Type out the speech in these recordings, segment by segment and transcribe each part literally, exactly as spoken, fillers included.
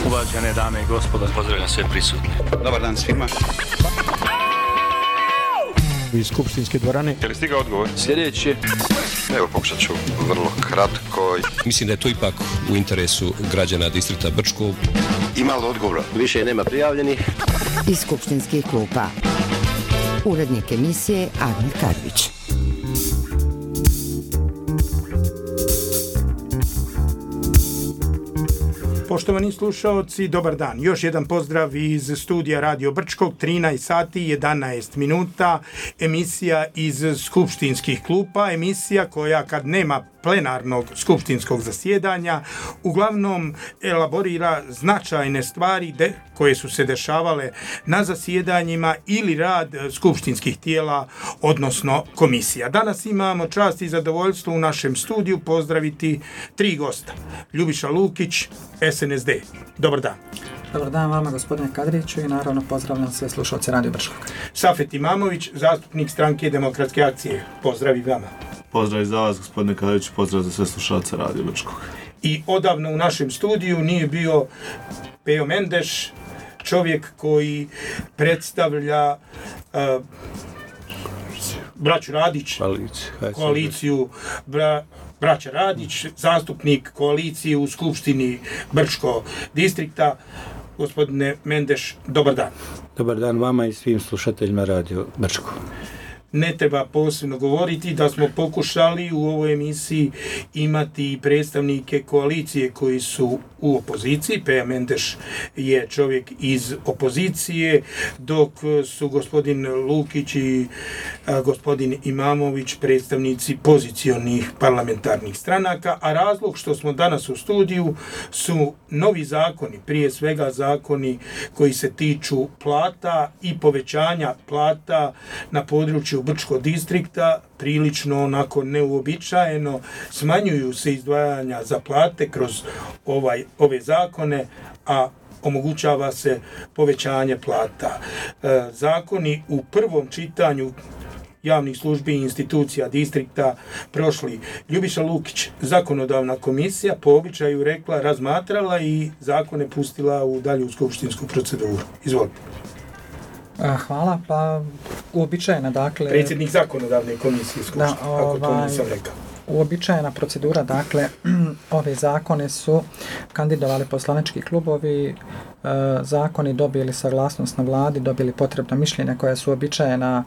Uvažene dame i gospodo, pozdravljam sve prisutne. Dobar dan svima. Iz skupštinske dvorane. Je li stigao odgovor? Sljedeći. Evo, pokušat ću vrlo kratko. Mislim da je to ipak u interesu građana distrikta Brčko. Ima li odgovora? Više nema prijavljenih. Iz skupštinskih klupa. Urednik emisije Admir Karvić. Poštovani slušaoci, dobar dan. Još jedan pozdrav iz studija Radio Brčkog, trinaest sati jedanaest minuta, emisija iz skupštinskih klupa, emisija koja kad nema plenarnog skupštinskog zasjedanja uglavnom elaborira značajne stvari de, koje su se dešavale na zasjedanjima ili rad skupštinskih tijela, odnosno komisija. Danas imamo čast i zadovoljstvo u našem studiju pozdraviti tri gosta. Ljubiša Lukić, S N S D. Dobar dan. Dobar dan vama, gospodine Kadriću, i naravno pozdravljam sve slušalce Radio Brčkog. Safet Imamović, zastupnik stranke Demokratske akcije. Pozdrav i vama. Pozdrav i za vas, gospodine Kadriću, pozdrav za sve slušalce Radio Brčkog. I odavno u našem studiju nije bio Pejo Mendeš, čovjek koji predstavlja uh, braću Radić, koaliciju bra, braća Radić, zastupnik koalicije u Skupštini Brčko distrikta. Gospodine Mendeš, dobar dan. Dobar dan vama i svim slušateljima Radio Brčko. Ne treba posebno govoriti da smo pokušali u ovoj emisiji imati predstavnike koalicije koji su u opoziciji. Peja Mendeš je čovjek iz opozicije, dok su gospodin Lukić i a, gospodin Imamović predstavnici pozicionih parlamentarnih stranaka, a razlog što smo danas u studiju su novi zakoni, prije svega zakoni koji se tiču plata i povećanja plata na području Brčkog distrikta, prilično onako neuobičajeno, smanjuju se izdvajanja za plate kroz ovaj, ove zakone, a omogućava se povećanje plata. E, zakoni u prvom čitanju javnih službi i institucija distrikta prošli. Ljubiša Lukić, zakonodavna komisija, po običaju rekla, razmatrala i zakone pustila u dalju skupštinsku proceduru. Izvolite. Hvala, pa uobičajena, dakle... Predsjednik zakonodavne komisije skupštine, da, ovaj, ako to nisam rekao. Uobičajena procedura, dakle, ove zakone su kandidovali poslanički klubovi, zakoni dobili saglasnost na vladi, dobili potrebna mišljenja koja su uobičajena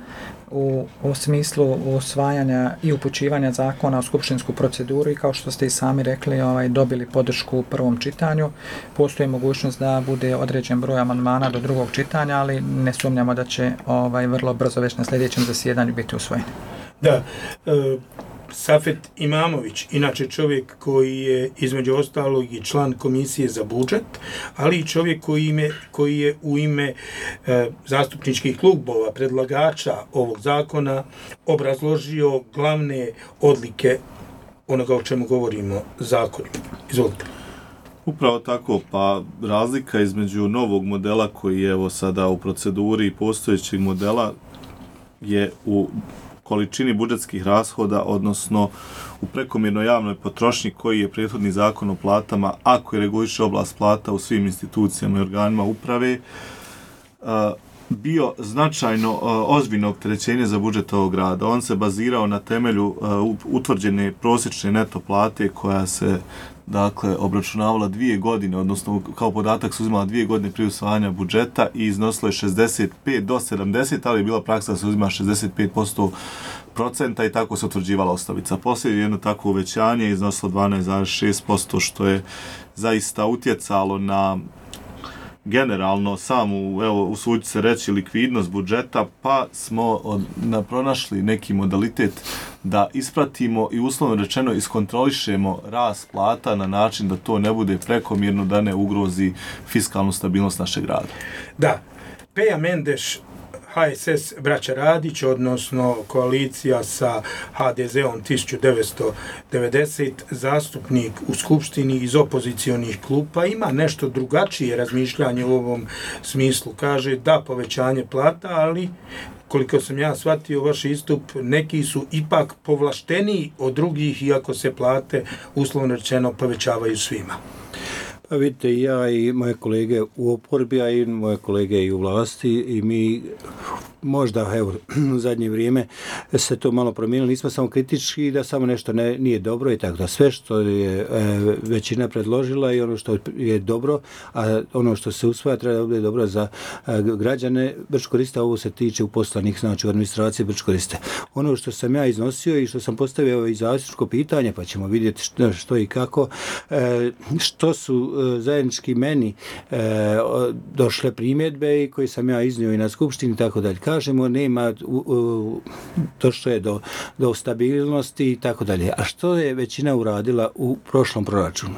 u, u smislu usvajanja i upućivanja zakona u skupštinsku proceduru i kao što ste i sami rekli, ovaj, dobili podršku u prvom čitanju. Postoji mogućnost da bude određen broj amandmana do drugog čitanja, ali ne sumnjamo da će ovaj, vrlo brzo već na sljedećem zasjedanju biti usvojen. Da, e, Safet Imamović, inače čovjek koji je između ostalog i član komisije za budžet, ali i čovjek koji, ime, koji je u ime e, zastupničkih klubova, predlagača ovog zakona, obrazložio glavne odlike onoga o čemu govorimo zakonima. Izvolite. Upravo tako, pa razlika između novog modela koji je evo sada u proceduri i postojećeg modela je u količini budžetskih rashoda, odnosno u prekomjernoj javnoj potrošnji koji je prethodni zakon o platama, ako je reguliše oblast plata u svim institucijama i organima uprave, bio značajno ozbiljno opterećenje za budžet ovog grada. On se bazirao na temelju utvrđene prosječne neto plate koja se dakle obračunavala dvije godine, odnosno kao podatak su uzimala dvije godine prije usvajanja budžeta i iznosilo je šezdeset pet do sedamdeset, ali je bila praksa da se uzima šezdeset pet posto procenta i tako se utvrđivala osnovica. Poslije jedno tako uvećanje iznosilo dvanaest zarez šest posto, što je zaista utjecalo na generalno samu, evo, usudit se reći, likvidnost budžeta, pa smo od, na, pronašli neki modalitet da ispratimo i uslovno rečeno iskontrolišemo rast plata na način da to ne bude prekomjerno, da ne ugrozi fiskalnu stabilnost našeg grada. Da, Peja Mendeš, H S S braća Radić, odnosno koalicija sa H D Z-om tisuću devetsto devedeset, zastupnik u Skupštini iz opozicionih klupa, ima nešto drugačije razmišljanje u ovom smislu. Kaže da povećanje plata, ali koliko sam ja shvatio vaš istup, neki su ipak povlašteniji od drugih, iako se plate uslovno rečeno povećavaju svima. A vidite, ja i moje kolege u oporbi, a i moje kolege i u vlasti, i mi možda, evo, u zadnje vrijeme se to malo promijenilo, nismo samo kritički da samo nešto ne, nije dobro i tako da sve što je e, većina predložila i ono što je dobro, a ono što se usvaja treba da bude dobro za e, građane Brčko-Koriste, ovo se tiče uposlenih, znači u administraciji Brčko-Koriste. Ono što sam ja iznosio i što sam postavio i zastupničko pitanje, pa ćemo vidjeti što, što i kako, e, što su e, zajednički meni e, došle primjedbe i koje sam ja iznio i na skupštini i tako dalje. Kažemo, nema, u, u, došlo je do, do stabilnosti i tako dalje. A što je većina uradila u prošlom proračunu?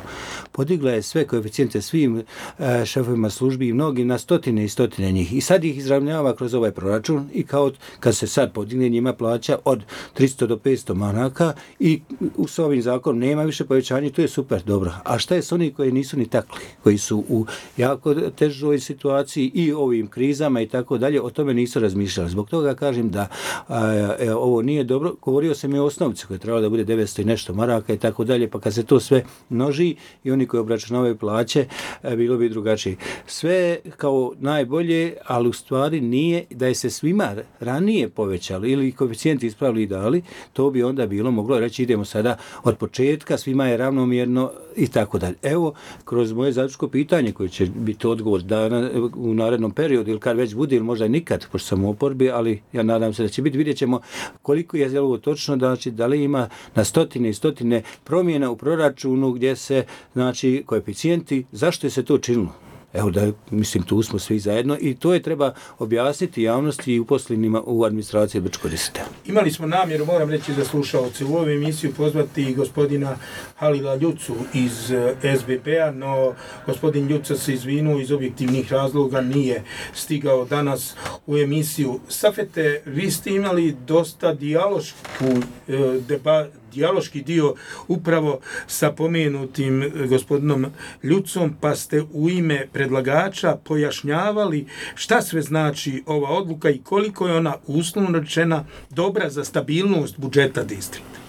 Podigla je sve koeficijente svim e, šefovima službi i mnogi na stotine i stotine njih. I sad ih izravnjava kroz ovaj proračun i kao kad se sad podigne njima plaća od tristo do petsto maraka i u s ovim zakonom nema više povećanja, to je super, dobro. A šta je s oni koji nisu ni takli, koji su u jako težoj situaciji i ovim krizama i tako dalje, o tome nisu razmišljali. Zbog toga kažem da a, e, ovo nije dobro. Govorio sam i o osnovici koja je trebala da bude devetsto i nešto maraka i tako dalje, pa kad se to sve množi i oni koji obračunavaju plaće, e, bilo bi drugačije. Sve kao najbolje, ali u stvari nije da je se svima ranije povećalo ili koeficijenti ispravili i dali, to bi onda bilo moglo reći idemo sada od početka, svima je ravnomjerno i tako dalje. Evo, kroz moje zaključko pitanje koje će biti odgovor dana u narednom periodu ili kad već bude ili možda nikad, pošto sam u oporbi, ali ja nadam se da će biti, vidjet ćemo koliko je ovo točno, znači da li ima na stotine i stotine promjena u proračunu gdje se, znači, koeficijenti, zašto je se to činilo? Evo da, mislim, tu smo svi zajedno i to je treba objasniti javnosti i uposlenima u administraciji Brčko-Koriste. Imali smo namjeru, moram reći za slušalce, u ovu emisiju pozvati gospodina Halila Ljucu iz S B P-a, no gospodin Ljuca se izvinuo iz objektivnih razloga, nije stigao danas u emisiju. Safete, vi ste imali dosta dijalošku e, debatu, dijaloški dio upravo sa pomenutim gospodinom Ljucom, pa ste u ime predlagača pojašnjavali šta sve znači ova odluka i koliko je ona uslovno rečena dobra za stabilnost budžeta distrikta.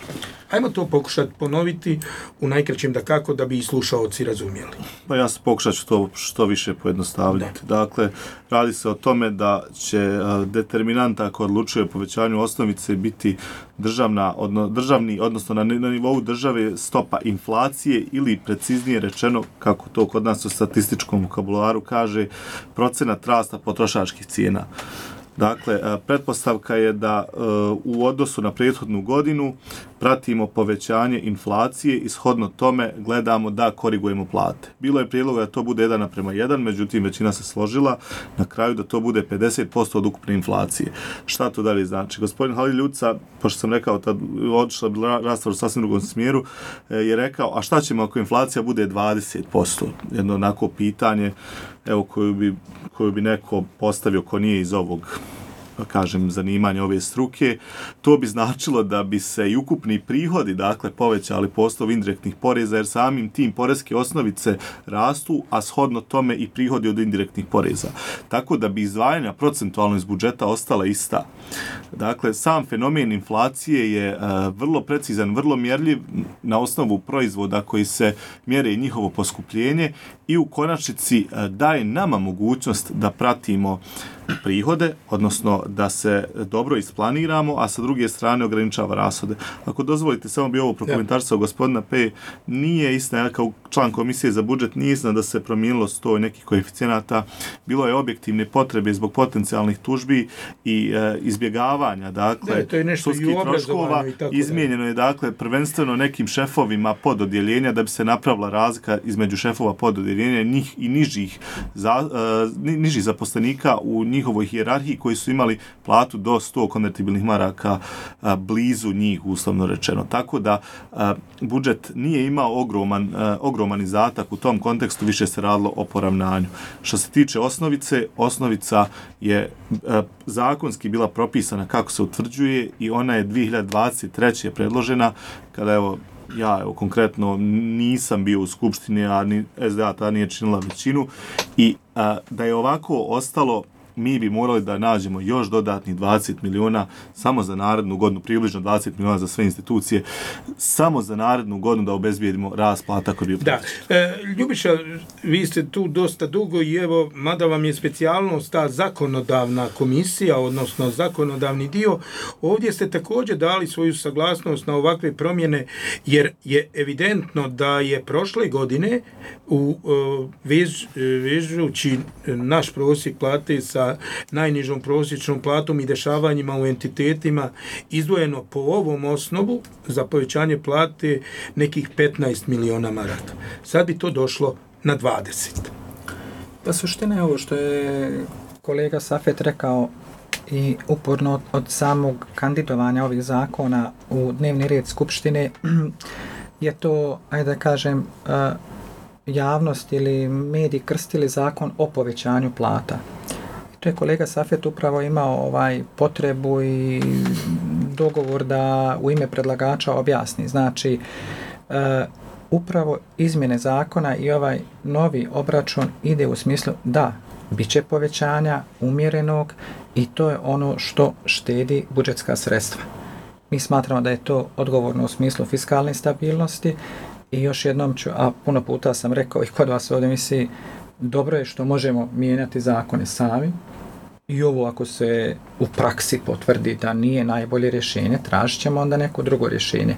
Hajmo to pokušati ponoviti u najkraćem da kako da bi i slušaoci razumjeli. Pa ja se pokušat ću to što više pojednostavljati. Da. Dakle, radi se o tome da će determinanta ako odlučuje o povećanju osnovice biti državna, odno, državni, odnosno na, na nivou države stopa inflacije ili preciznije rečeno, kako to kod nas u statističkom vokabularu kaže, procenat rasta potrošačkih cijena. Dakle, pretpostavka je da u odnosu na prethodnu godinu pratimo povećanje inflacije i shodno tome gledamo da korigujemo plate. Bilo je prijedloga da to bude jedan naprema jedan, međutim većina se složila na kraju da to bude pedeset posto od ukupne inflacije. Šta to dalje znači? Gospodin Halil Ljuca, pošto sam rekao, tad odšla bila rasprava u sasvim drugom smjeru, je rekao, a šta ćemo ako inflacija bude dvadeset posto? Jedno onako pitanje, evo, koju bi, koju bi neko postavio ko nije iz ovog, kažem, zanimanja ove struke, to bi značilo da bi se i ukupni prihodi, dakle, povećali po osnovu indirektnih poreza, jer samim tim poreske osnovice rastu, a shodno tome i prihodi od indirektnih poreza. Tako da bi izdvajanja procentualno iz budžeta ostala ista. Dakle, sam fenomen inflacije je uh, vrlo precizan, vrlo mjerljiv na osnovu proizvoda koji se mjere i njihovo poskupljenje i u konačnici uh, daje nama mogućnost da pratimo prihode, odnosno da se dobro isplaniramo, a sa druge strane ograničava rashode. Ako dozvolite, samo bi ovo prokomentarisao gospodina P. Nije istina, ja kao član komisije za budžet, nije istina da se promijenilo sto nekih koeficijenata. Bilo je objektivne potrebe zbog potencijalnih tužbi i e, izbjegavanja, dakle, da, sudskih troškova. Izmijenjeno je, dakle, prvenstveno nekim šefovima pododjeljenja da bi se napravila razlika između šefova pododjeljenja njih i nižih, za, e, nižih zaposlenika u njihovoj hijerarhiji koji su imali platu do sto konvertibilnih maraka a, blizu njih, uslovno rečeno. Tako da a, budžet nije imao ogroman, a, ogroman izdatak u tom kontekstu, više se radilo o poravnanju. Što se tiče osnovice, osnovica je a, zakonski bila propisana kako se utvrđuje i ona je dvije hiljade dvadeset treće predložena, kada evo ja evo, konkretno nisam bio u skupštini, a ni S D A ta nije činila većinu i a, da je ovako ostalo mi bi morali da nađemo još dodatnih dvadeset miliona samo za narednu godinu, približno dvadeset miliona za sve institucije, samo za narednu godinu da obezbijedimo rast plata koji bi Da. E, Ljubiša, vi ste tu dosta dugo i evo, mada vam je specijalnost ta zakonodavna komisija, odnosno zakonodavni dio, ovdje ste također dali svoju saglasnost na ovakve promjene, jer je evidentno da je prošle godine u vež, vežući naš prosjek plate sa najnižom prosječnom platom i dešavanjima u entitetima izdvojeno po ovom osnovu za povećanje plate nekih petnaest miliona maraka. Sad bi to došlo na dvadeset. Pa suština je ovo što je kolega Safet rekao i uporno od, od samog kandidovanja ovih zakona u dnevni red Skupštine je to, ajde da kažem, javnost ili mediji krstili zakon o povećanju plata. I to je kolega Safet upravo imao ovaj potrebu i dogovor da u ime predlagača objasni. Znači, e, upravo izmjene zakona i ovaj novi obračun ide u smislu da bit će povećanja umjerenog i to je ono što štedi budžetska sredstva. Mi smatramo da je to odgovorno u smislu fiskalne stabilnosti i još jednom ću, a puno puta sam rekao i kod vas ovdje misli, dobro je što možemo mijenjati zakone sami i ovo ako se u praksi potvrdi da nije najbolje rješenje, tražit ćemo onda neko drugo rješenje.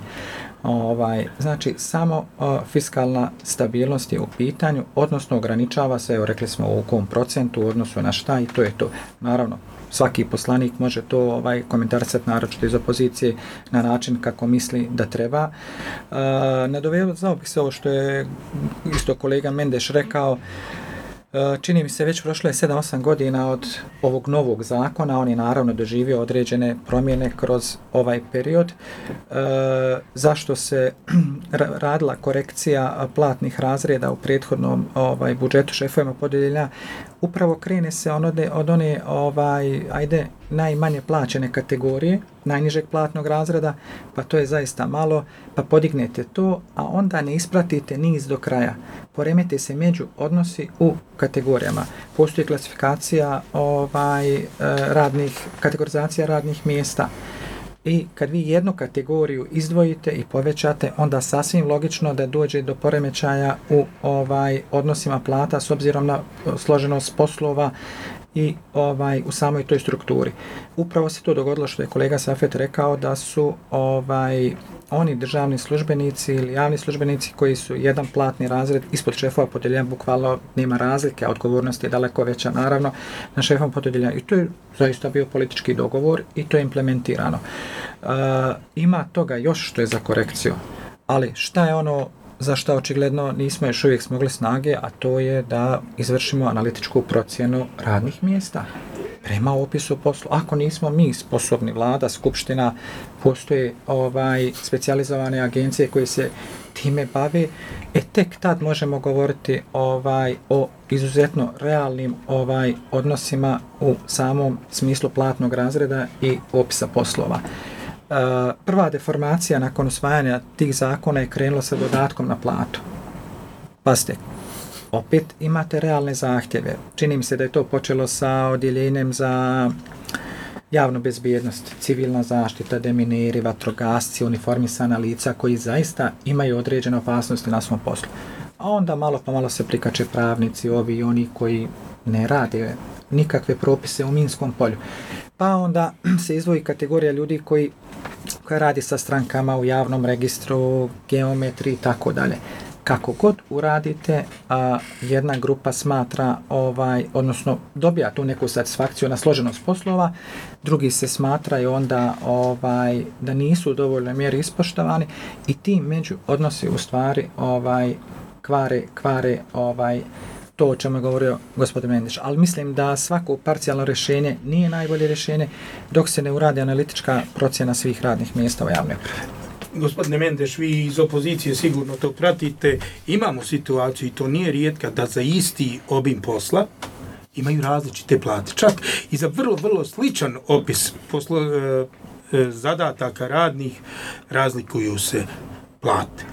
Ovaj, znači, samo o, fiskalna stabilnost je u pitanju, odnosno ograničava se, evo rekli smo u kom procentu u odnosu na šta i to je to. Naravno, svaki poslanik može to ovaj, komentarisati naročito iz opozicije na način kako misli da treba. E, nadovezao bih se ovo što je isto kolega Mendeš rekao. Čini mi se već prošlo je sedam osam godina od ovog novog zakona, on je naravno doživio određene promjene kroz ovaj period. E, zašto se radila korekcija platnih razreda u prethodnom ovaj, budžetu šefovima podeljenja? Upravo krene se onode, od one ovaj, ajde, najmanje plaćene kategorije, najnižeg platnog razreda, pa to je zaista malo, pa podignete to, a onda ne ispratite niz do kraja. Poremete se među odnosi u kategorijama. Postoji klasifikacija ovaj, radnih, kategorizacija radnih mjesta. I kad vi jednu kategoriju izdvojite i povećate, onda sasvim logično da dođe do poremećaja u ovaj odnosima plata s obzirom na složenost poslova i ovaj u samoj toj strukturi. Upravo se to dogodilo što je kolega Safet rekao da su ovaj oni državni službenici ili javni službenici koji su jedan platni razred ispod šefova podeljenja, bukvalno nema razlike, a odgovornost je daleko veća naravno na šefom podeljenja i to je zaista bio politički dogovor i to je implementirano. E, ima toga još što je za korekciju, ali šta je ono za što očigledno nismo još uvijek smogli snage, a to je da izvršimo analitičku procjenu radnih mjesta prema opisu poslu. Ako nismo mi sposobni, vlada, skupština, postoje ovaj specijalizovane agencije koje se time bave, e tek tad možemo govoriti ovaj o izuzetno realnim ovaj odnosima u samom smislu platnog razreda i opisa poslova. Uh, prva deformacija nakon usvajanja tih zakona je krenula sa dodatkom na platu. Pazite, opet imate realne zahtjeve. Čini mi se da je to počelo sa odjeljenjem za javnu bezbjednost, civilna zaštita, demineri, vatrogasci, uniformisana lica koji zaista imaju određene opasnosti na svom poslu. A onda malo pa malo se prikače pravnici, ovi i oni koji ne rade nikakve propise u minskom polju. Pa onda se izdvoji kategorija ljudi koji koja radi sa strankama u javnom registru, geometri i tako dalje. Kako god uradite, a, jedna grupa smatra, ovaj, odnosno dobija tu neku satisfakciju na složenost poslova, drugi se smatraju onda ovaj, da nisu u dovoljnoj mjeri ispoštovani i ti među odnosi u stvari ovaj, kvare, kvare ovaj, to o čemu je govorio gospodin Mendeš. Ali mislim da svako parcijalno rješenje nije najbolje rješenje dok se ne uradi analitička procjena svih radnih mjesta u javnoj upravi. Gospodine Mendeš, vi iz opozicije sigurno to pratite. Imamo situaciju i to nije rijetka da za isti obim posla imaju različite plate. Čak i za vrlo, vrlo sličan opis poslo, e, e, zadataka radnih razlikuju se plate.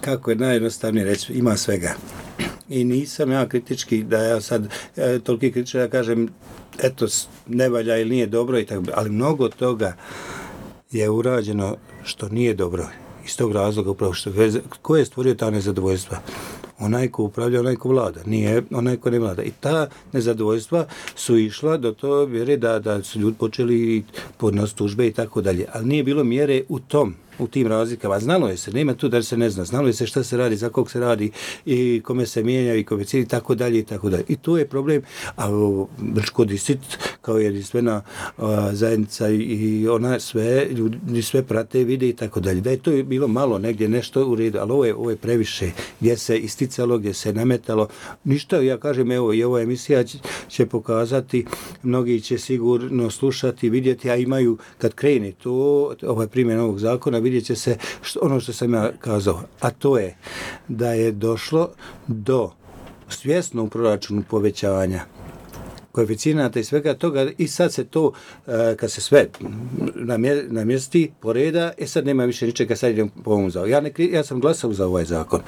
Kako je najjednostavnije reći, ima svega. I nisam ja kritički, da ja sad e, toliki kritički da kažem eto, ne valja ili nije dobro i tako, ali mnogo toga je urađeno što nije dobro. Iz tog razloga upravo što ko je stvorio ta nezadovoljstva? Onaj ko upravlja, onaj ko vlada, nije onaj ko ne vlada. I ta nezadovoljstva su išla do to vjere da, da su ljudi počeli podnos tužbe i tako dalje. Ali nije bilo mjere u tom, u tim razlikama. Znalo je se, nema tu da se ne zna, znalo je se šta se radi, za kog se radi i kome se mijenja i kome cijeli i tako dalje i tako dalje. I to je problem, a Brčko distrikt kao jedinstvena zajednica i ona sve, ljudi sve prate, vide i tako dalje. Da je to bilo malo negdje nešto u redu, ali ovo je, ovo je previše, gdje se isticalo, gdje se nametalo. Ništa, ja kažem, evo, i ova emisija će, će pokazati, mnogi će sigurno slušati, vidjeti, a imaju, kad krene to, ovaj primjer ovog zakona, vidjet će se što, ono što sam ja kazao, a to je da je došlo do svjesno u proračunu povećavanja koeficijenata i svega toga i sad se to, kad se sve namjesti poreda, e sad nema više ničega, sad idem po ovom zakonu. Ja, ne, ja sam glasao za ovaj zakon.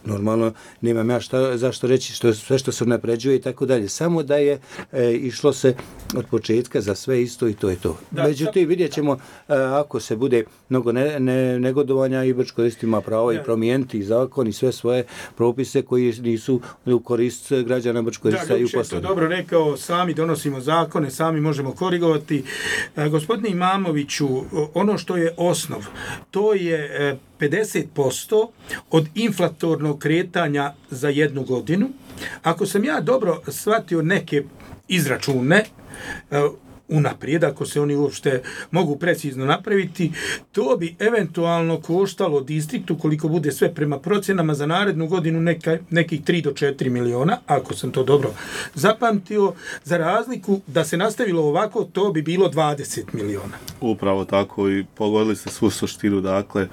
Normalno, nemam ja šta, zašto reći što, sve što se napređuje i tako dalje. Samo da je e, išlo se od početka za sve isto i to je to. Da, međutim, vidjet ćemo e, ako se bude mnogo ne, ne, negodovanja i Brčko ima pravo i promijeniti zakon i sve svoje propise koji nisu u korist građana Brčko i u poslu. Dobro rekao, sami donosimo zakone, sami možemo korigovati. E, gospodine Imamoviću, ono što je osnov, to je e, pedeset posto od inflatornog kretanja za jednu godinu. Ako sam ja dobro shvatio neke izračune, e, unaprijed, ako se oni uopšte mogu precizno napraviti, to bi eventualno koštalo distriktu, koliko bude sve prema procjenama za narednu godinu, neka, nekih tri do četiri miliona, ako sam to dobro zapamtio, za razliku da se nastavilo ovako, to bi bilo dvadeset miliona. Upravo tako i pogodili ste svu suštinu, dakle,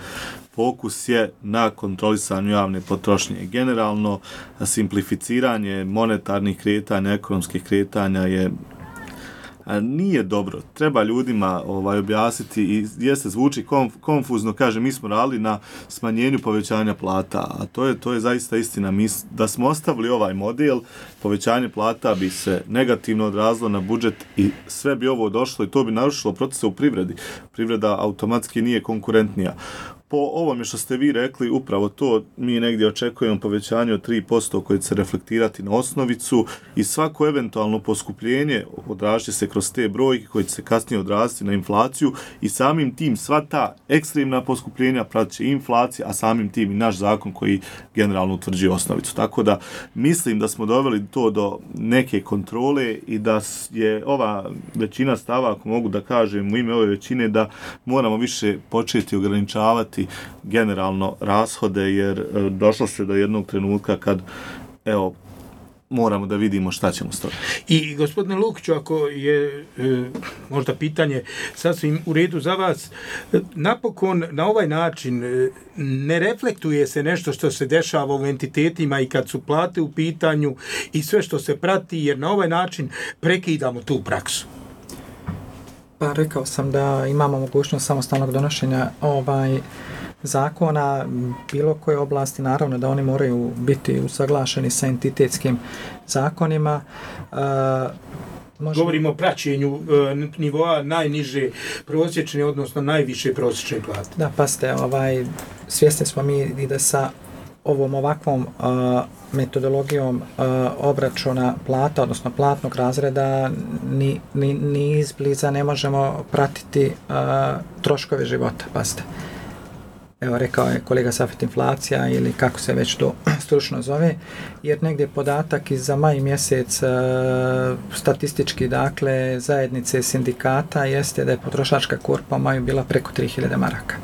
fokus je na kontrolisanju javne potrošnje. Generalno, simplificiranje monetarnih kretanja, ekonomskih kretanja je a nije dobro. Treba ljudima ovaj objasniti i jeste zvuči konf, konfuzno, kaže mi smo radili na smanjenju povećanja plata, a to je to je zaista istina. Mi da smo ostavili ovaj model, povećanje plata bi se negativno odrazilo na budžet i sve bi ovo došlo i to bi narušilo procese u privredi. Privreda automatski nije konkurentnija. Po ovome što ste vi rekli, upravo to mi negdje očekujemo povećanje od tri posto koje će se reflektirati na osnovicu i svako eventualno poskupljenje odražće se kroz te brojke koje će se kasnije odraziti na inflaciju i samim tim sva ta ekstremna poskupljenja pratit će inflacija, a samim tim i naš zakon koji generalno utvrđuje osnovicu. Tako da mislim da smo doveli to do neke kontrole i da je ova većina stava, ako mogu da kažem u ime ove većine, da moramo više početi ograničavati generalno rashode, jer došlo se do jednog trenutka kad, evo, moramo da vidimo šta ćemo s toga. I gospodine Lukiću, ako je e, možda pitanje sasvim u redu za vas, napokon na ovaj način e, ne reflektuje se nešto što se dešava u entitetima i kad su plate u pitanju i sve što se prati, jer na ovaj način prekidamo tu praksu. Pa rekao sam da imamo mogućnost samostalnog donošenja ovaj zakona bilo koje oblasti, naravno da oni moraju biti usaglašeni sa entitetskim zakonima. E, možemo... Govorimo o praćenju e, nivoa najniže prosječne, odnosno najviše prosječne plate. Da, pa ste, ovaj, svjesni smo mi i da sa ovom ovakvom uh, metodologijom uh, obračuna plata, odnosno platnog razreda, ni, ni, ni izbliza ne možemo pratiti uh, troškove života, pazite. Evo, rekao je kolega Safet, inflacija ili kako se već to stručno zove, jer negdje podatak iz za maj mjesec uh, statistički, dakle, zajednice sindikata jeste da je potrošačka korpa u maju bila preko tri hiljade maraka.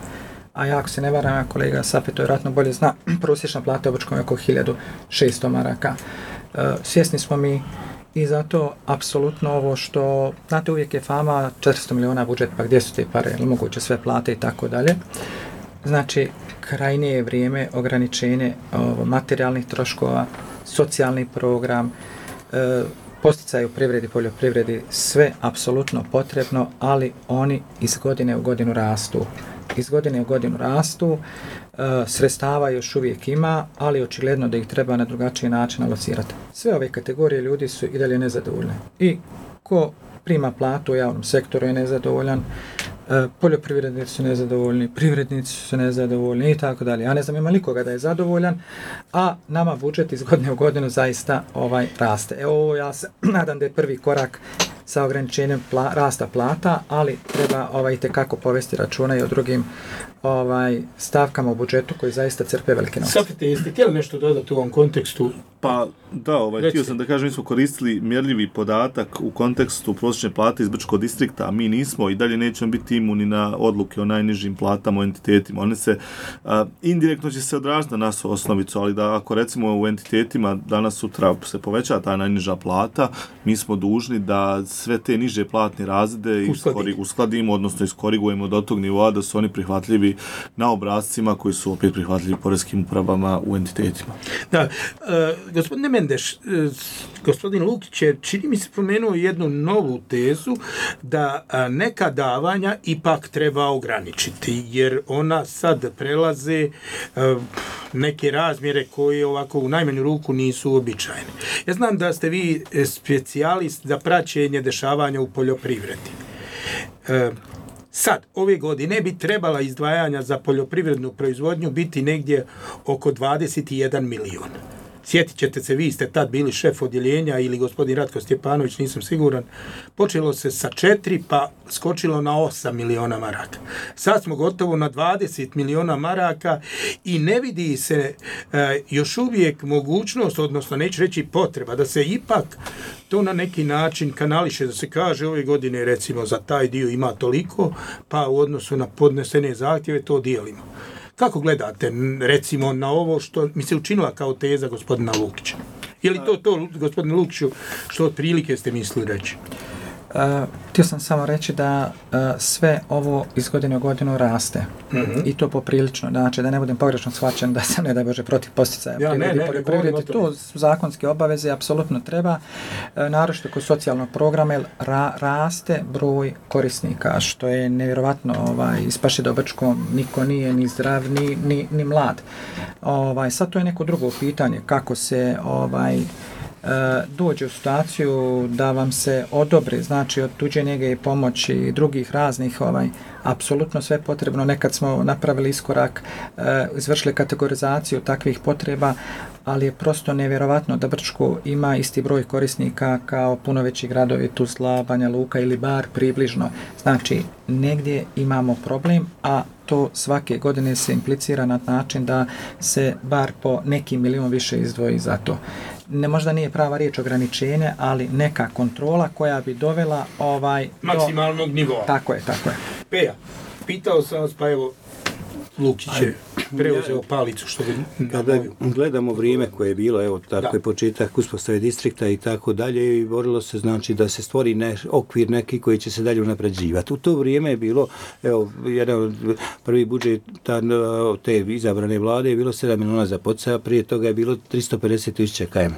A ja, ako se ne varam, kolega Safet to vjerojatno bolje zna, prosječna plata u Brčkom je oko hiljadu šesto maraka. Uh, svjesni smo mi i zato apsolutno ovo što, znate, uvijek je fama četiristo miliona budžet, pa gdje su te pare, ili moguće sve plate i tako dalje. Znači, krajnje je vrijeme ograničenje ovo, materijalnih troškova, socijalni program, e, posticaj u privredi, poljoprivredi, sve apsolutno potrebno, ali oni iz godine u godinu rastu. iz godine u godinu rastu, sredstava još uvijek ima, ali očigledno da ih treba na drugačiji način alocirati. Sve ove kategorije ljudi su i dalje nezadovoljne. I ko prima platu u javnom sektoru je nezadovoljan, poljoprivrednici su nezadovoljni, privrednici su nezadovoljni i tako dalje. Ja ne znam ima nikoga da je zadovoljan, a nama budžet iz godine u godinu zaista ovaj raste. Evo, ja se nadam da je prvi korak sa ograničenjem pla, rasta plata, ali treba ovaj tekako povesti računa i o drugim ovaj stavkama u budžetu koji zaista crpe velike novce. Safete, jeste htjeli nešto dodati u ovom kontekstu? Pa da, ovaj, htio sam da kažem, mi smo koristili mjerljivi podatak u kontekstu prosječne plate iz Brčkog distrikta, a mi nismo i dalje nećemo biti imuni na odluke o najnižim platama u entitetima. One se, a, indirektno će se odraziti na nas osnovicu, ali da ako recimo u entitetima danas sutra se poveća ta najniža plata, mi smo dužni da sve te niže platne razrede iskori, uskladimo, odnosno iskorigujemo do tog nivoa da su oni prihvatljivi na obrascima koji su opet prihvatljivi poreskim upravama u entitetima. Da, e, gospodine Mendeš, e, gospodin Lukić je, čini mi se, pomenuo jednu novu tezu da a, neka davanja ipak treba ograničiti, jer ona sad prelaze a, neke razmjere koje ovako u najmanju ruku nisu uobičajene. Ja znam da ste vi specijalist za praćenje dešavanja u poljoprivredi. E, Sad, ove godine bi trebala izdvajanja za poljoprivrednu proizvodnju biti negdje oko dvadeset jedan milion. Sjetit ćete se, vi ste tad bili šef odjeljenja ili gospodin Ratko Stjepanović, nisam siguran. Počelo se sa četiri pa skočilo na osam miliona maraka. Sad smo gotovo na dvadeset miliona maraka i ne vidi se e, još uvijek mogućnost, odnosno neću reći potreba, da se ipak to na neki način kanališe, da se kaže ove godine recimo za taj dio ima toliko, pa u odnosu na podnesene zahtjeve to dijelimo. Kako gledate, recimo, na ovo što mi se učinila kao teza gospodina Lukića? Je li to to, gospodine Lukiću, što otprilike ste mislili reći? Uh, htio sam samo reći da uh, sve ovo iz godine u godinu raste. Mm-hmm. I to poprilično. Znači, da ne budem pogrešno shvaćen da sam, ne da bože, protiv posticaja ja, privredi, ne, poljoprivredi. To su zakonske obaveze, apsolutno treba. Uh, naročito kod socijalnog programa, jer ra, raste broj korisnika, što je nevjerovatno, ovaj, ispaše da u Brčkom niko nije ni zdrav, ni, ni, ni mlad. Ovaj, sad to je neko drugo pitanje, kako se ovaj, dođe u situaciju da vam se odobre, znači od tuđe njege i pomoći i drugih raznih, ovaj, apsolutno sve potrebno. Nekad smo napravili iskorak, izvršili kategorizaciju takvih potreba, ali je prosto nevjerovatno da Brčko ima isti broj korisnika kao puno veći gradovi, Tuzla, Banja Luka ili bar približno. Znači, negdje imamo problem, a to svake godine se implicira na način da se bar po neki milion više izdvoji za to. Ne, možda nije prava riječ ograničenje, ali neka kontrola koja bi dovela ovaj maksimalnog do... nivoa. Tako je, tako je. Peja, pitao sam vas, pa evo, Lukić je preuzeo palicu, što bi... Kada gledamo vrijeme koje je bilo, evo, tako da. je početak uspostave distrikta i tako dalje, i borilo se, znači, da se stvori ne, okvir neki koji će se dalje unapređivati. U to vrijeme je bilo, evo, jedan od prvi budžet te izabrane vlade je bilo sedam miliona za poticaja, prije toga je bilo tristo pedeset tisuća km.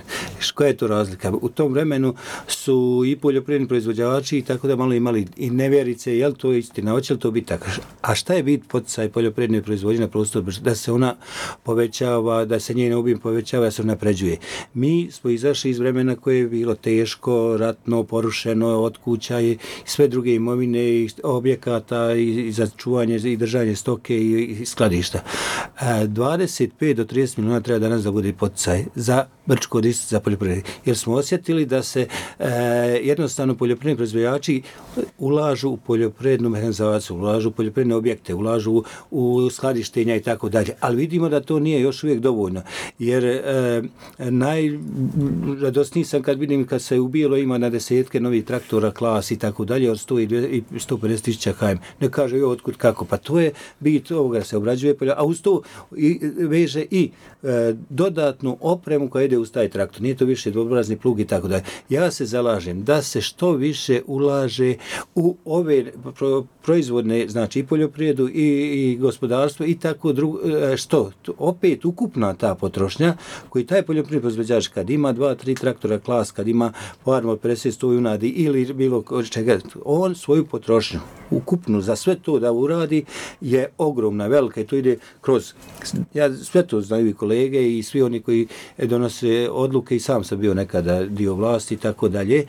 Koja je to razlika? U tom vremenu su i poljoprivredni proizvođači i tako da malo imali i nevjerice, je li to istina, hoće li to biti tako? A šta je bit poticaj poljoprivredne proizvodnje na prostoru, da se ona povećava, da se njen obim povećava, da se napređuje. Mi smo izašli iz vremena koje je bilo teško, ratno, porušeno, od kuća i sve druge imovine i objekata i za čuvanje i držanje stoke i skladišta. dvadeset pet do trideset miliona treba danas da bude poticaj za Brčko distrikt za poljoprivredu. Jer smo osjetili da se e, jednostavno poljoprivredni proizvođači ulažu u poljoprivrednu mehanizaciju, ulažu u poljoprivredne objekte, ulažu u skladištenja i tako dalje. Ali vidimo da to nije još uvijek dovoljno. Jer e, najradosniji sam kad vidim kad se u Bijelo ima na desetke novih traktora, klas i tako dalje, od sto i sto pedeset tisuća km. Ne kaže joj otkud kako. Pa to je bit ovoga da se obrađuje poljoprivreda, a uz to i, veže i e, dodatnu opremu koja ide ide uz taj traktor, nije to više dvobrazni plug i tako dalje. Ja se zalažem da se što više ulaže u ove pro, proizvodne, znači i poljoprivredu i, i gospodarstvo i tako drugo, što? Opet ukupna ta potrošnja koji taj poljoprivredni proizvođač kad ima dva, tri traktora klas, kad ima farmu od pedeset sto junadi ili bilo čega, on svoju potrošnju ukupnu za sve to da uradi je ogromna, velika i to ide kroz, ja sve to znaju i kolege i svi oni koji donose odluke i sam sam bio nekada dio vlasti i tako dalje.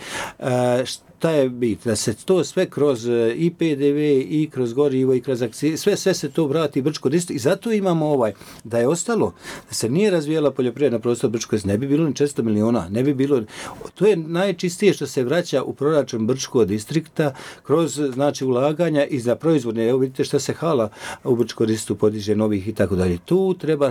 Šta je bit? Da se to sve kroz i P D V i kroz gorivo i kroz akcije, sve, sve se to vrati Brčko distrikt i zato imamo ovaj, da je ostalo, da se nije razvijela poljoprivredna prostor Brčko, ne bi bilo ni četiristo miliona, ne bi bilo, to je najčistije što se vraća u proračun Brčko distrikta kroz, znači, ulaganja i za proizvodne, evo vidite šta se hala u Brčko distriktu podiže novih i tako dalje. Tu treba,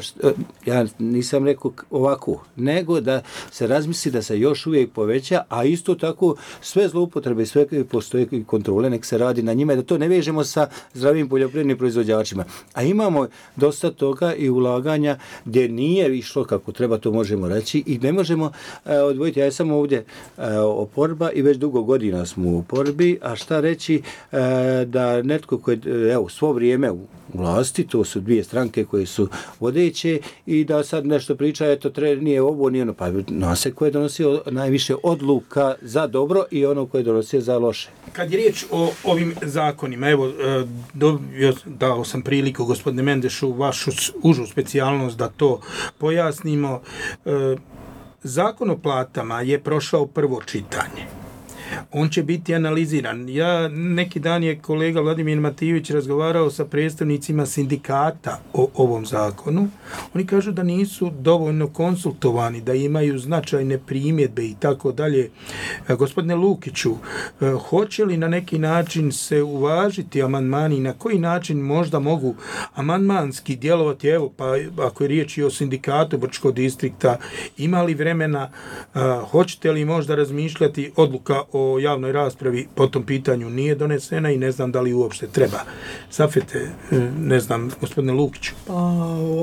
ja nisam rekao ovako, nego da se razmisli da se još uvijek poveća, a isto tako sve zloupotrebe i sve postoje kontrole, nek se radi na njima, da to ne vežemo sa zdravim poljoprivrednim proizvođačima. A imamo dosta toga i ulaganja gdje nije išlo kako treba, to možemo reći i ne možemo e, odvojiti. Ja sam ovdje e, oporba i već dugo godina smo u oporbi, a šta reći e, da netko koji je evo, svo vrijeme u vlasti, to su dvije stranke koje su vodeće i da sad nešto priča, eto, tre, nije ovo, nije ono, pa nose ko je donosio najviše odluka za dobro i ono koje je donosio za loše. Kad je riječ o ovim zakonima, evo, dobio, dao sam priliku gospodine Mendešu vašu užu specijalnost da to pojasnimo. Zakon o platama je prošao prvo čitanje. On će biti analiziran. Ja, neki dan je kolega Vladimir Matijević razgovarao sa predstavnicima sindikata o ovom zakonu. Oni kažu da nisu dovoljno konsultovani, da imaju značajne primjedbe i tako dalje. Gospodine Lukiću, hoće li na neki način se uvažiti amandmani, na koji način možda mogu amandmanski djelovati, evo, pa ako je riječ i o sindikatu Brčkog distrikta, ima li vremena, hoćete li možda razmišljati, odluka o o javnoj raspravi po tom pitanju nije donesena i ne znam da li uopšte treba. Safete, ne znam, gospodine Lukiću. Pa,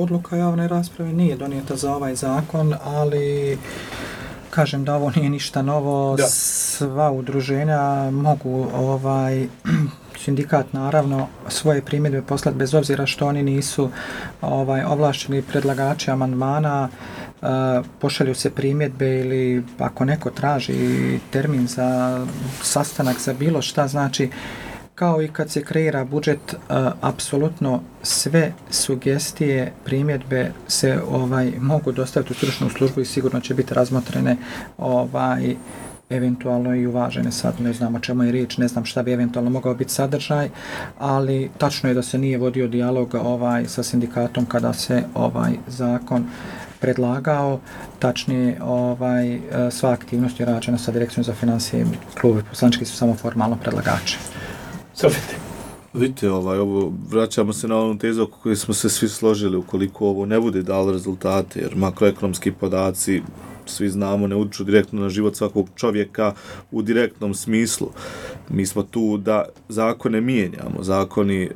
odluka javne rasprave nije donijeta za ovaj zakon, ali kažem da ovo nije ništa novo. Da. Sva udruženja mogu ovaj sindikat naravno svoje primjedbe poslati bez obzira što oni nisu ovaj ovlašteni predlagači amandmana. Uh, pošalju se primjedbe ili ako neko traži termin za sastanak za bilo šta, znači kao i kad se kreira budžet, uh, apsolutno sve sugestije, primjedbe se ovaj mogu dostaviti u stručnu službu i sigurno će biti razmotrene ovaj eventualno i uvažene. Sad ne znam o čemu je riječ, ne znam šta bi eventualno mogao biti sadržaj, ali tačno je da se nije vodio dijalog ovaj sa sindikatom kada se ovaj zakon predlagao, tačnije ovaj, sva aktivnost je rađena sa direkcijom za financije, klubi poslančki su samo formalno predlagači. Sofite. Vidite, ovaj, ovo, vraćamo se na onu tezu oko koju smo se svi složili, ukoliko ovo ne bude dalo rezultate, jer makroekonomski podaci, svi znamo, ne utiču direktno na život svakog čovjeka u direktnom smislu. Mi smo tu da zakone mijenjamo. Zakoni, uh,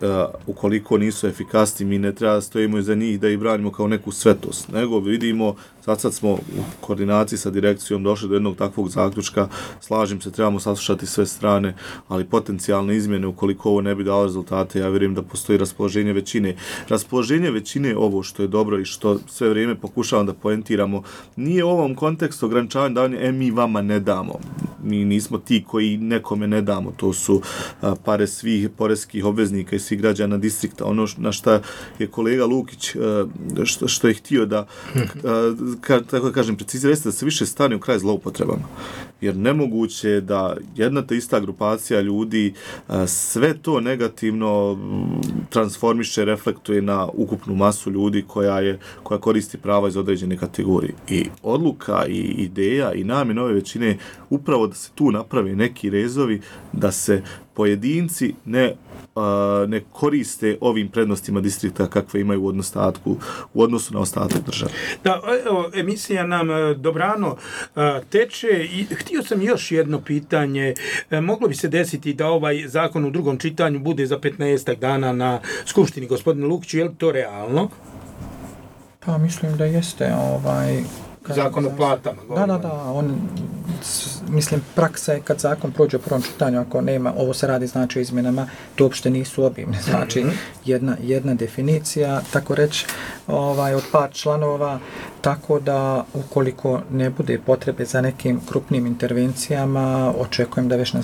ukoliko nisu efikasni, mi ne treba da stojimo iza njih da ih branimo kao neku svetost, nego vidimo, sad sad smo u koordinaciji sa direkcijom došli do jednog takvog zaključka, slažem se, trebamo saslušati sve strane, ali potencijalne izmjene, ukoliko ovo ne bi dalo rezultate, ja vjerujem da postoji raspoloženje većine. Raspoloženje većine, ovo što je dobro i što sve vrijeme pokušavam da poentiramo, nije u ovom kontekstu ograničavanja davanja, e, mi vama ne damo. Mi nismo ti koji nekome ne damo, to su a, pare svih poreskih obveznika i svih građana distrikta. Ono š, na šta je kolega Lukić a, što, što je htio da, a, ka, tako da kažem, precizira, jeste da se više stane u kraj zloupotrebama. Jer nemoguće je da jedna te ista grupacija ljudi a, sve to negativno transformiše, reflektuje na ukupnu masu ljudi koja je koja koristi prava iz određene kategorije. I odluka i ideja i namjena ove većine upravo da se tu naprave neki rezovi, da se pojedinci ne, uh, ne koriste ovim prednostima distrikta kakve imaju u odnostatku, u odnosu na ostatak države. Da, evo, emisija nam dobrano uh, teče i htio sam još jedno pitanje. E, moglo bi se desiti da ovaj zakon u drugom čitanju bude za petnaestak dana na Skupštini, gospodine Lukiću, je li to realno? Pa mislim da jeste, ovaj Zakon o platama. Da, da, da, on, mislim, praksa je kad zakon prođe u prvom čitanju, ako nema, ovo se radi znači o izmjenama, to uopšte nisu obimne, znači mm-hmm. jedna, jedna definicija, tako reći, ovaj, od par članova, tako da ukoliko ne bude potrebe za nekim krupnim intervencijama, očekujem da već na,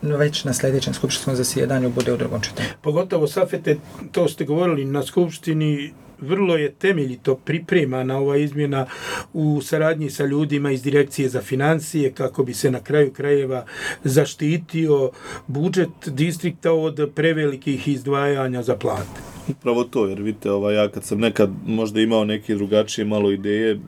već na sljedećem skupštinskom zasjedanju bude u drugom čitanju. Pogotovo, Safete, to ste govorili na skupštini, vrlo je temeljito pripremana ova izmjena u saradnji sa ljudima iz Direkcije za financije kako bi se na kraju krajeva zaštitio budžet distrikta od prevelikih izdvajanja za plate. Upravo to, jer vidite, ovaj, ja kad sam nekad možda imao neke drugačije malo ideje,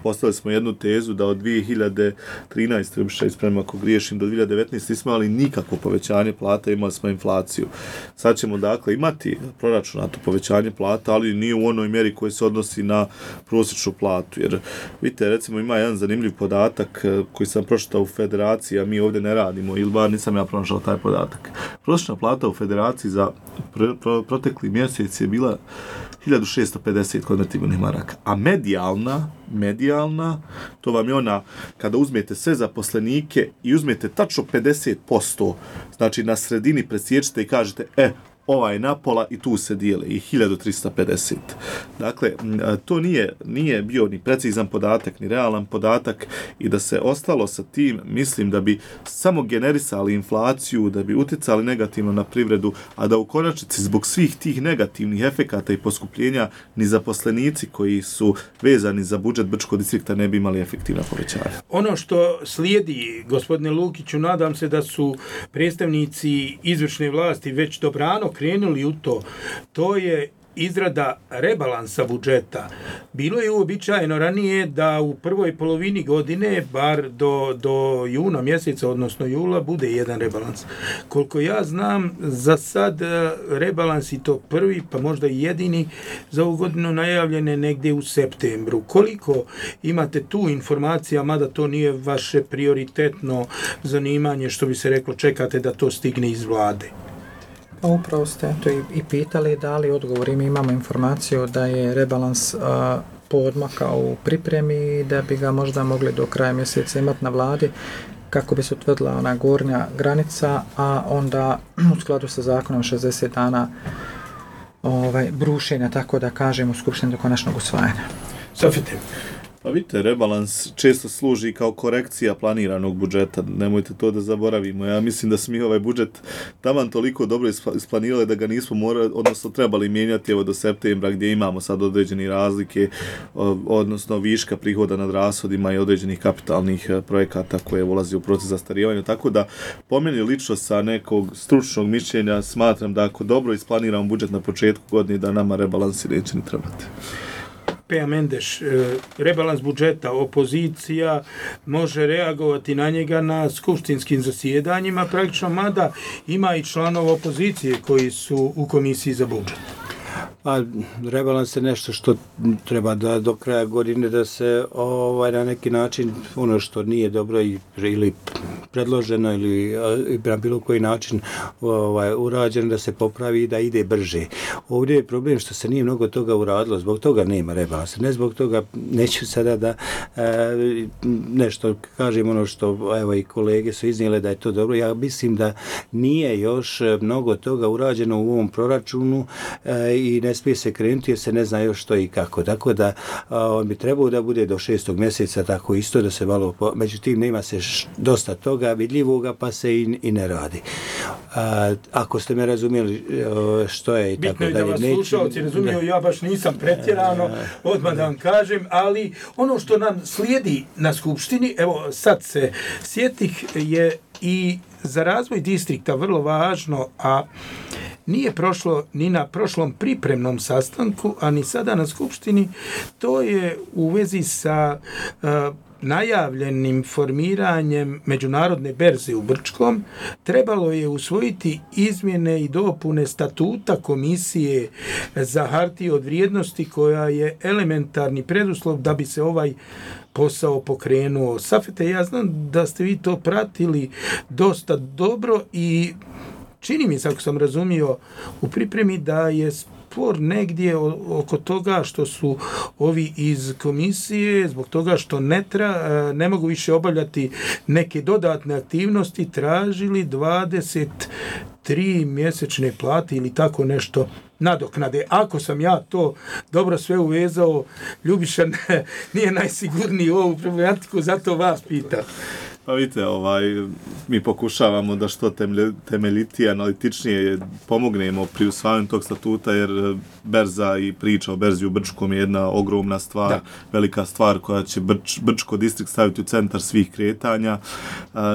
postavili smo jednu tezu da od dvije hiljade trinaeste. Ubiša ispremno ako griješim, do dvije hiljade devetnaeste. nismo imali nikakvo povećanje plata, imali smo inflaciju. Sad ćemo dakle imati proračunato povećanje plata, ali nije u onoj mjeri koji se odnosi na prosječnu platu. Jer vidite, recimo ima jedan zanimljiv podatak koji sam pročitao u Federaciji, a mi ovdje ne radimo, ili bar nisam ja pronašao taj podatak. Prosječna plata u Federaciji za pr- pr- protekli mjesec je bila hiljadu šesto pedeset konvertibilnih maraka, a medijalna, medijalna, to vam je ona kada uzmete sve zaposlenike i uzmete tačno pedeset posto, znači na sredini presječite i kažete, e, ova je napola i tu se dijele i hiljadu trista pedeset. Dakle, to nije, nije bio ni precizan podatak, ni realan podatak i da se ostalo sa tim, mislim da bi samo generisali inflaciju, da bi utjecali negativno na privredu, a da u konačnici zbog svih tih negativnih efekata i poskupljenja ni zaposlenici koji su vezani za budžet Brčkog distrikta ne bi imali efektivna povećanja. Ono što slijedi, gospodine Lukiću, nadam se da su predstavnici izvršne vlasti već dobrano krenuli u to, to je izrada rebalansa budžeta. Bilo je uobičajeno ranije da u prvoj polovini godine, bar do, do juna mjeseca, odnosno jula, bude jedan rebalans. Koliko ja znam, za sad rebalans i to prvi, pa možda i jedini, za ovu godinu najavljene negdje u septembru. Koliko imate tu informacija, mada to nije vaše prioritetno zanimanje, što bi se reklo, čekate da to stigne iz vlade? Pa upravo ste to i, i pitali, dali odgovor i mi imamo informaciju da je rebalans a, poodmakao u pripremi i da bi ga možda mogli do kraja mjeseca imati na vladi kako bi se utvrdila ona gornja granica, a onda u skladu sa zakonom šezdeset dana ovaj, brušenja, tako da kažemo, skupštine do konačnog usvajanja. Safete. Pa vidite, rebalans često služi kao korekcija planiranog budžeta, nemojte to da zaboravimo. Ja mislim da smo mi ovaj budžet taman toliko dobro isplanirali da ga nismo morali, odnosno trebali mijenjati evo do septembra gdje imamo sad određeni razlike, odnosno viška prihoda nad rashodima i određenih kapitalnih projekata koje ulazi u proces zastarijevanja. Tako da, po meni lično sa nekog stručnog mišljenja smatram da ako dobro isplaniramo budžet na početku godine da nama rebalansi neće ni trebati. Peja Mendeš, rebalans budžeta, opozicija može reagovati na njega na skupštinskim zasjedanjima, praktično, mada ima i članova opozicije koji su u komisiji za budžet. A rebalans je nešto što treba da do kraja godine da se ovaj na neki način ono što nije dobro i, ili predloženo ili na bilo koji način ovaj urađeno da se popravi i da ide brže. Ovdje je problem što se nije mnogo toga uradilo, zbog toga nema rebalansa. Ne zbog toga, neću sada da e, nešto kažem ono što evo i kolege su iznijele da je to dobro. Ja mislim da nije još mnogo toga urađeno u ovom proračunu e, i ne smije se krenuti jer se ne zna još što i kako. Tako da on bi trebao da bude do šestog mjeseca tako isto da se malo, po... međutim nema se š... dosta toga vidljivoga pa se i, i ne radi. A, ako ste me razumjeli što je i tako dalje. Bitno je da vas slušalci razumiju, ja baš nisam pretjerano, odmah da vam kažem, ali ono što nam slijedi na skupštini, evo sad se sjetih, je i za razvoj distrikta vrlo važno, a nije prošlo ni na prošlom pripremnom sastanku, a ni sada na skupštini, to je u vezi sa uh, najavljenim formiranjem međunarodne berze u Brčkom. Trebalo je usvojiti izmjene i dopune statuta Komisije za hartije od vrijednosti koja je elementarni preduslov da bi se ovaj posao pokrenuo. Safete, ja znam da ste vi to pratili dosta dobro i čini mi se, ako sam razumio u pripremi, da je otpor negdje oko toga što su ovi iz komisije, zbog toga što ne, tra, ne mogu više obavljati neke dodatne aktivnosti, tražili dvadeset tri mjesečne plate ili tako nešto nadoknade. Ako sam ja to dobro sve uvezao, Ljubiša nije najsigurniji u ovu problematiku, zato vas pitam. Pa vidite, ovaj, mi pokušavamo da što temeljitije, analitičnije pomognemo pri usvajanju tog statuta, jer berza i priča o berzi u Brčkom je jedna ogromna stvar, da. velika stvar koja će Brč, Brčko distrikt staviti u centar svih kretanja.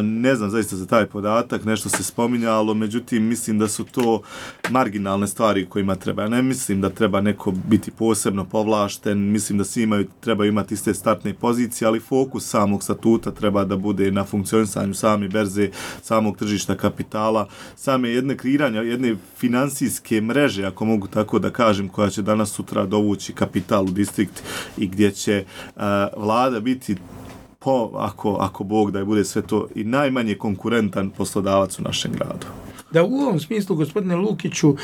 Ne znam zaista za taj podatak, nešto se spominjalo, međutim mislim da su to marginalne stvari kojima treba. Ja ne mislim da treba neko biti posebno povlašten, mislim da svi imaju, treba imati iste startne pozicije, ali fokus samog statuta treba da bude na funkcionisanju same berze, samog tržišta kapitala, same jedne kreiranja, jedne finansijske mreže, ako mogu tako da kažem, koja će danas sutra dovući kapital u distrikt i gdje će uh, vlada biti po, ako, ako Bog da je bude sve to i najmanje konkurentan poslodavac u našem gradu. Da, u ovom smislu, gospodine Lukiću, uh,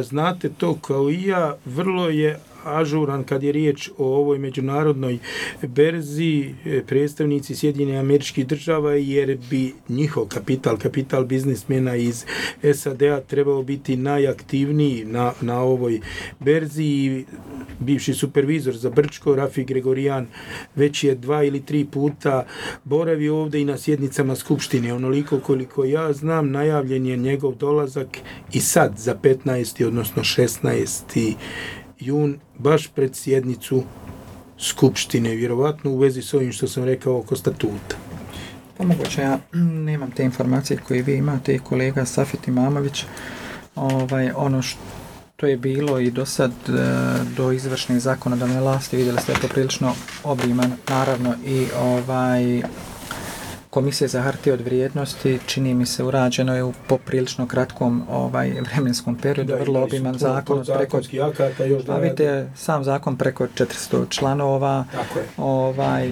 znate to kao i ja, vrlo je ažuran kad je riječ o ovoj međunarodnoj berzi, predstavnici Sjedinjenih Američkih Država, jer bi njihov kapital, kapital biznismena iz S A D-a trebao biti najaktivniji na, na ovoj berzi i bivši supervizor za Brčko, Rafi Gregorijan, već je dva ili tri puta boravio ovdje i na sjednicama Skupštine. Onoliko koliko ja znam, najavljen je njegov dolazak i sad za petnaesti odnosno šesnaesti jun, baš pred sjednicu Skupštine, vjerovatno u vezi s ovim što sam rekao oko statuta. Pa moguće, ja nemam te informacije koje vi imate i kolega Safet Imamović. Ovaj, ono što je bilo i do sad, do izvršne zakonodavne vlasti, vidjeli ste je poprilično obiman, naravno i ovaj Komisija za hartije od vrijednosti, čini mi se, urađeno je u poprilično kratkom ovaj vremenskom periodu, da, vrlo obiman zakon preko akata još da. A vidite, sam zakon preko četiristo članova. Tako je. Ovaj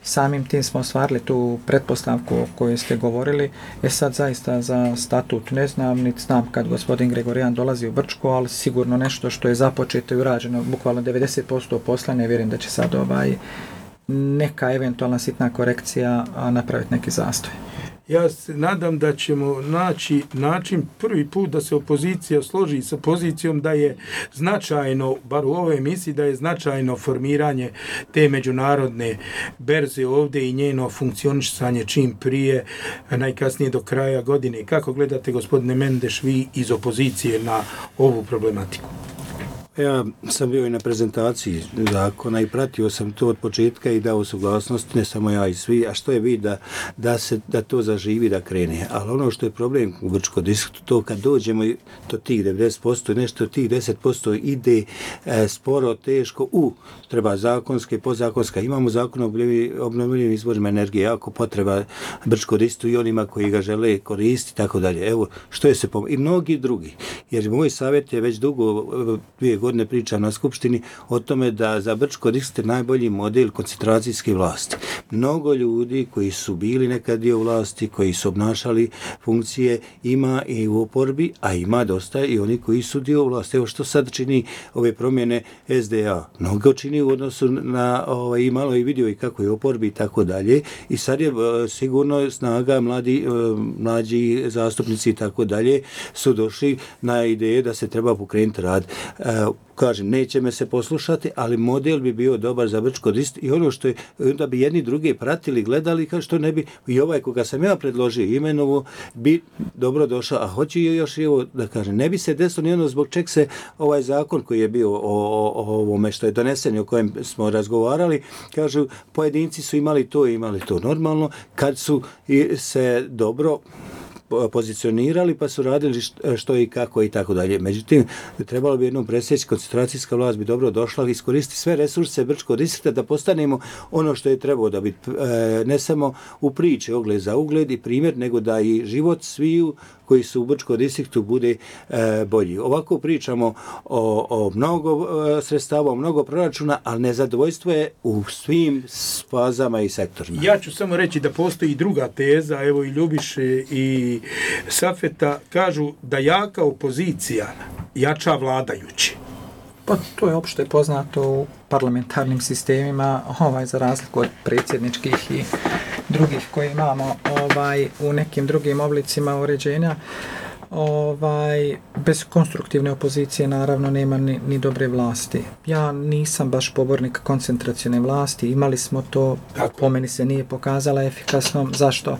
samim tim smo ostvarili tu pretpostavku o kojoj ste govorili. E sad zaista za statut ne znam, niti znam kad gospodin Gregorijan dolazi u Brčko, ali sigurno nešto što je započeto i urađeno, bukvalno devedeset posto posla, ne vjerujem da će sad ovaj neka eventualna sitna korekcija napraviti neki zastoj. Ja se nadam da ćemo naći način prvi put da se opozicija složi sa pozicijom da je značajno, bar u ovoj emisiji, da je značajno formiranje te međunarodne berze ovdje i njeno funkcionisanje čim prije, najkasnije do kraja godine. Kako gledate, gospodine Mendeš, vi iz opozicije na ovu problematiku? Ja sam bio i na prezentaciji zakona i pratio sam to od početka i dao suglasnost, ne samo ja i svi, a što je vid da, da, se, da to zaživi, da krene. Ali ono što je problem u Brčkom distriktu, to kad dođemo do tih devedeset posto i nešto, tih deset posto ide e, sporo, teško, u, treba zakonske, podzakonska. Imamo zakon o obnovljivim izvorima energije, jako potreba Brčkom distriktu i onima koji ga žele koristiti, tako dalje. Evo, što je se pom... I mnogi drugi. Jer moj savjet je već dugo, dvije godine pričam na Skupštini o tome da za Brčko distrikt je najbolji model koncentracijske vlasti. Mnogo ljudi koji su bili nekad dio vlasti, koji su obnašali funkcije, ima i u oporbi, a ima dosta i oni koji su dio vlasti. Evo što sad čini ove promjene S D A. Mnogo čini u odnosu na, ovaj, i malo i vidio i kako je oporbi i tako dalje. I sad je sigurno snaga mladi, mlađi zastupnici i tako dalje su došli na ideje da se treba pokrenuti rad. Kažem, neće me se poslušati, ali model bi bio dobar za Brčko distrikt i ono što je, onda bi jedni druge pratili, gledali, kao što ne bi, i ovaj koga sam ja predložio imenovo, bi dobro došao, a hoću još i ovo da kažem, ne bi se desilo ni ono zbog čeg se ovaj zakon koji je bio o, o, o ovome što je donesen i o kojem smo razgovarali, kažu, pojedinci su imali to i imali to normalno, kad su se dobro pozicionirali pa su radili što i kako i tako dalje. Međutim, trebalo bi jednom presjeći, koncentracijska vlast bi dobro došla, iskoristiti sve resurse Brčkog distrikta da postanemo ono što je trebalo da biti, ne samo u priči ogled za ugled i primjer, nego da i život sviju koji su u Brčkom distriktu bude e, bolji. Ovako pričamo o, o mnogo e, sredstava, o mnogo proračuna, ali nezadovoljstvo je u svim fazama i sektorima. Ja ću samo reći da postoji druga teza, evo i Ljubiše i Safeta kažu da jaka opozicija jača vladajući. Pa to je opšte poznato u parlamentarnim sistemima, ovaj, za razliku od predsjedničkih i drugih koje imamo ovaj, u nekim drugim oblicima uređenja. Ovaj, bez konstruktivne opozicije naravno nema ni, ni dobre vlasti. Ja nisam baš pobornik koncentracione vlasti, imali smo to, Tako. po meni se nije pokazala efikasnom. Zašto? E,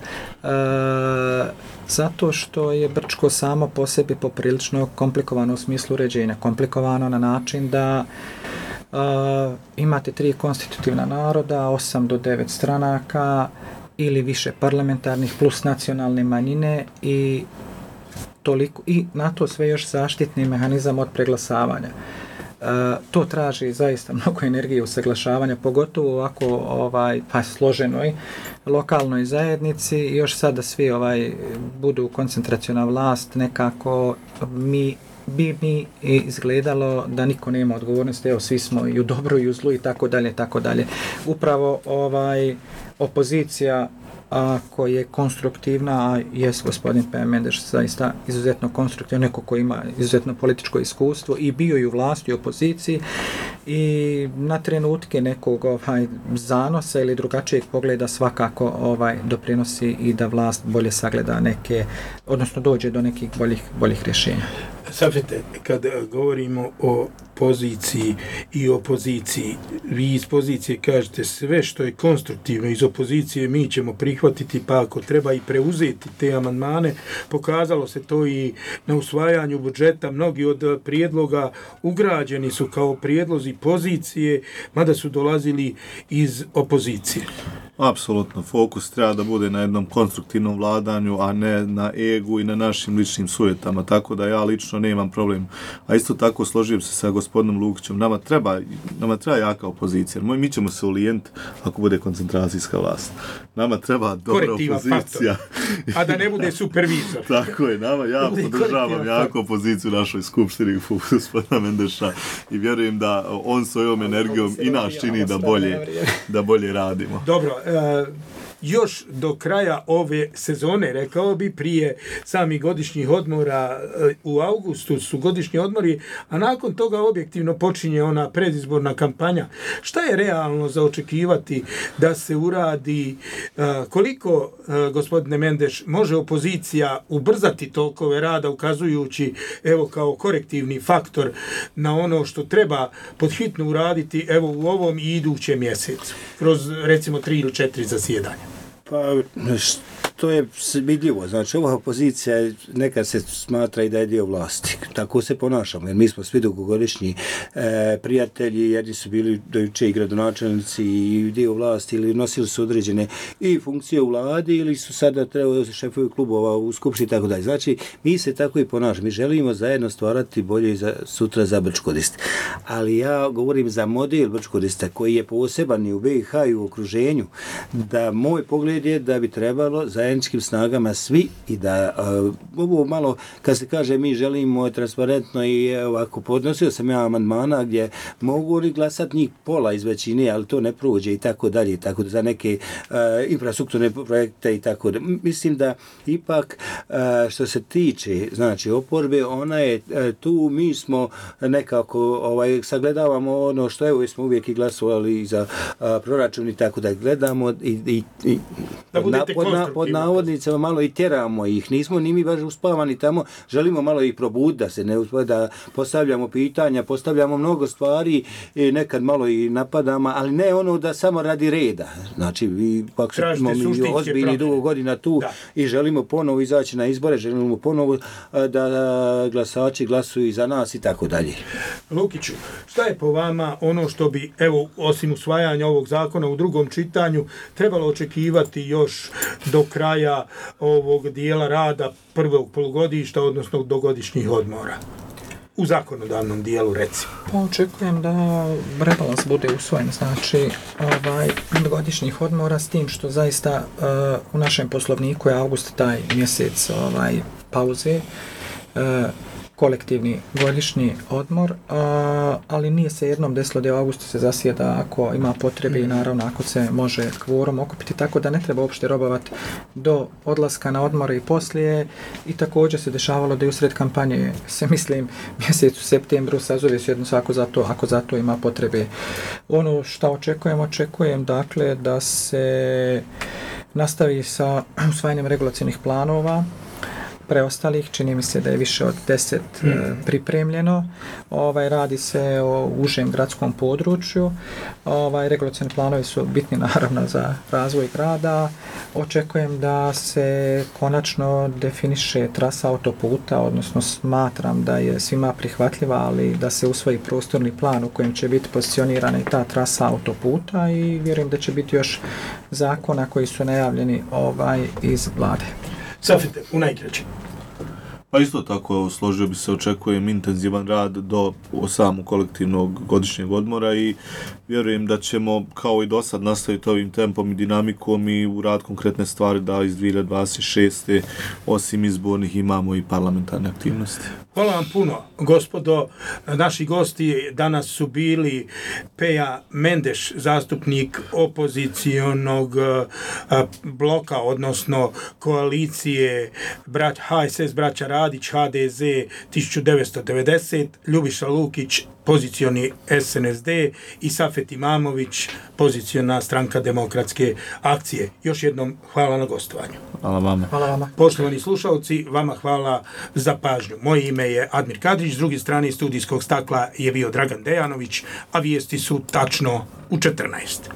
zato što je Brčko samo po sebi poprilično komplikovano u smislu uređenja. Komplikovano na način da e, imate tri konstitutivna naroda, osam do devet stranaka ili više parlamentarnih plus nacionalne manjine i toliko, i na to sve još zaštitni mehanizam od preglasavanja. E, to traži zaista mnogo energije usaglašavanja, pogotovo u ovako ovaj, pa složenoj lokalnoj zajednici i još sada svi ovaj, budu koncentraciona vlast, nekako mi bi mi izgledalo da niko nema odgovornosti, evo svi smo i u dobru i u zlu i tako dalje, tako dalje. Upravo ovaj, opozicija ako je konstruktivna, a jes gospodin P. Mendeš zaista izuzetno konstruktivno, neko ko ima izuzetno političko iskustvo i bio i u vlasti i u opoziciji i na trenutke nekog ovaj, zanosa ili drugačijeg pogleda svakako ovaj, doprinosi i da vlast bolje sagleda neke, odnosno dođe do nekih boljih, boljih rješenja. Safete, kad govorimo o poziciji i opoziciji, vi iz pozicije kažete sve što je konstruktivno iz opozicije mi ćemo prihvatiti, pa ako treba i preuzeti te amandmane. Pokazalo se to i na usvajanju budžeta, mnogi od prijedloga ugrađeni su kao prijedlozi pozicije, mada su dolazili iz opozicije. Apsolutno, fokus treba da bude na jednom konstruktivnom vladanju, a ne na egu i na našim ličnim sujetama, tako da ja lično nemam problem. A isto tako složim se sa gospodinom Lukićem, nama treba, nama treba jaka opozicija. Mi ćemo se ulijent ako bude koncentracijska vlast. Nama treba dobra Korektiva opozicija. Faktor. A da ne bude supervizor. Tako je, nama, ja podržavam jaku opoziciju u našoj skupštini gospodina Mendeša i vjerujem da on svojom energijom i nas čini da bolje, da bolje radimo. Dobro, e, još do kraja ove sezone, rekao bi, prije samih godišnjih odmora e, u augustu su godišnji odmori, a nakon toga objektivno počinje ona predizborna kampanja. Šta je realno za očekivati da se uradi, e, koliko, e, gospodine Mendeš, može opozicija ubrzati tokove rada ukazujući, evo, kao korektivni faktor na ono što treba podhitno uraditi, evo, u ovom i idućem mjesecu, kroz, recimo, tri ili četiri zasjedanja? Pa, to je vidljivo. Znači, ova opozicija nekad se smatra i da je dio vlasti. Tako se ponašamo, jer mi smo svi dugogodišnji e, prijatelji, jedni su bili do juče i gradonačelnici i dio vlasti, ili nosili su određene i funkcije u vladi, ili su sada trebali šefovi klubova u skupštini i tako dalje. Znači, mi se tako i ponašamo. Mi želimo zajedno stvarati bolje za, sutra za Brčkodist. Ali ja govorim za model Brčkodista koji je poseban i u be i ha i u okruženju, da moj pogled je da bi trebalo zajedničkim snagama svi i da uh, ovo malo, kad se kaže mi želimo transparentno i ovako, podnosio sam ja amandmana gdje mogu li glasati njih pola iz većine, ali to ne prođe i tako dalje, i tako da za neke uh, infrastrukturne projekte i tako da. Mislim da ipak uh, što se tiče, znači, oporbe, ona je uh, tu, mi smo nekako ovaj, sagledavamo ono što evo smo uvijek i glasovali za uh, proračun i tako da gledamo i, i, i da na, pod, na, pod navodnicama malo i tjeramo ih, nismo ni mi baš uspavani tamo, želimo malo ih probuditi, da se ne uspava, da postavljamo pitanja, postavljamo mnogo stvari, i nekad malo i napadamo, ali ne ono da samo radi reda. Znači, vi pak smo mi ozbiljni dugo godina tu, da, i želimo ponovo izaći na izbore, želimo ponovo da glasači glasuju za nas i tako dalje. Lukiću, šta je po vama ono što bi, evo, osim usvajanja ovog zakona u drugom čitanju, trebalo očekivati još do kraja ovog dijela rada prvog polugodišta, odnosno do godišnjih odmora? U zakonodavnom dijelu, recimo. Pa očekujem da rebalans bude usvojen, znači ovaj, godišnjih odmora, s tim što zaista uh, u našem poslovniku je avgust taj mjesec ovaj, pauze. Uh, kolektivni godišnji odmor, a, ali nije se jednom desilo da u augustu se zasjeda ako ima potrebe i naravno ako se može kvorum okupiti, tako da ne treba uopšte robovati do odlaska na odmore i poslije. I također se dešavalo da i usred kampanje se, mislim, mjesec u septembru sazove sjednicu ako za to, ako za to ima potrebe. Ono što očekujem, očekujem dakle da se nastavi sa usvajanjem regulacijnih planova preostalih, čini mi se da je više od deset mm. e, pripremljeno. Ovaj, radi se o užem gradskom području. Ovaj, regulacijni planovi su bitni naravno za razvoj grada. Očekujem da se konačno definiše trasa autoputa, odnosno smatram da je svima prihvatljiva, ali da se usvoji prostorni plan u kojem će biti pozicionirana i ta trasa autoputa i vjerujem da će biti još zakona koji su najavljeni ovaj, iz vlade. Safete, u najkraćem. Pa isto tako, složio bi se, očekujem intenzivan rad do samog kolektivnog godišnjeg odmora i vjerujem da ćemo kao i do sad nastaviti ovim tempom i dinamikom i u rad konkretne stvari da iz dvije hiljade dvadeset šeste osim izbornih imamo i parlamentarne aktivnosti. Hvala vam puno, gospodo. Naši gosti danas su bili Peja Mendeš, zastupnik opozicionog bloka, odnosno koalicije brać, H S S braća Radić, H D Z tisuću devetsto devedeset, Ljubiša Lukić, pozicioni S N S D i Safet Imamović, poziciona stranka Demokratske akcije. Još jednom hvala na gostovanju. Hvala vama. Hvala vama. Poštovani slušalci, vama hvala za pažnju. Moje ime je Admir Kadrić, s druge strane studijskog stakla je bio Dragan Dejanović, a vijesti su tačno u četrnaest.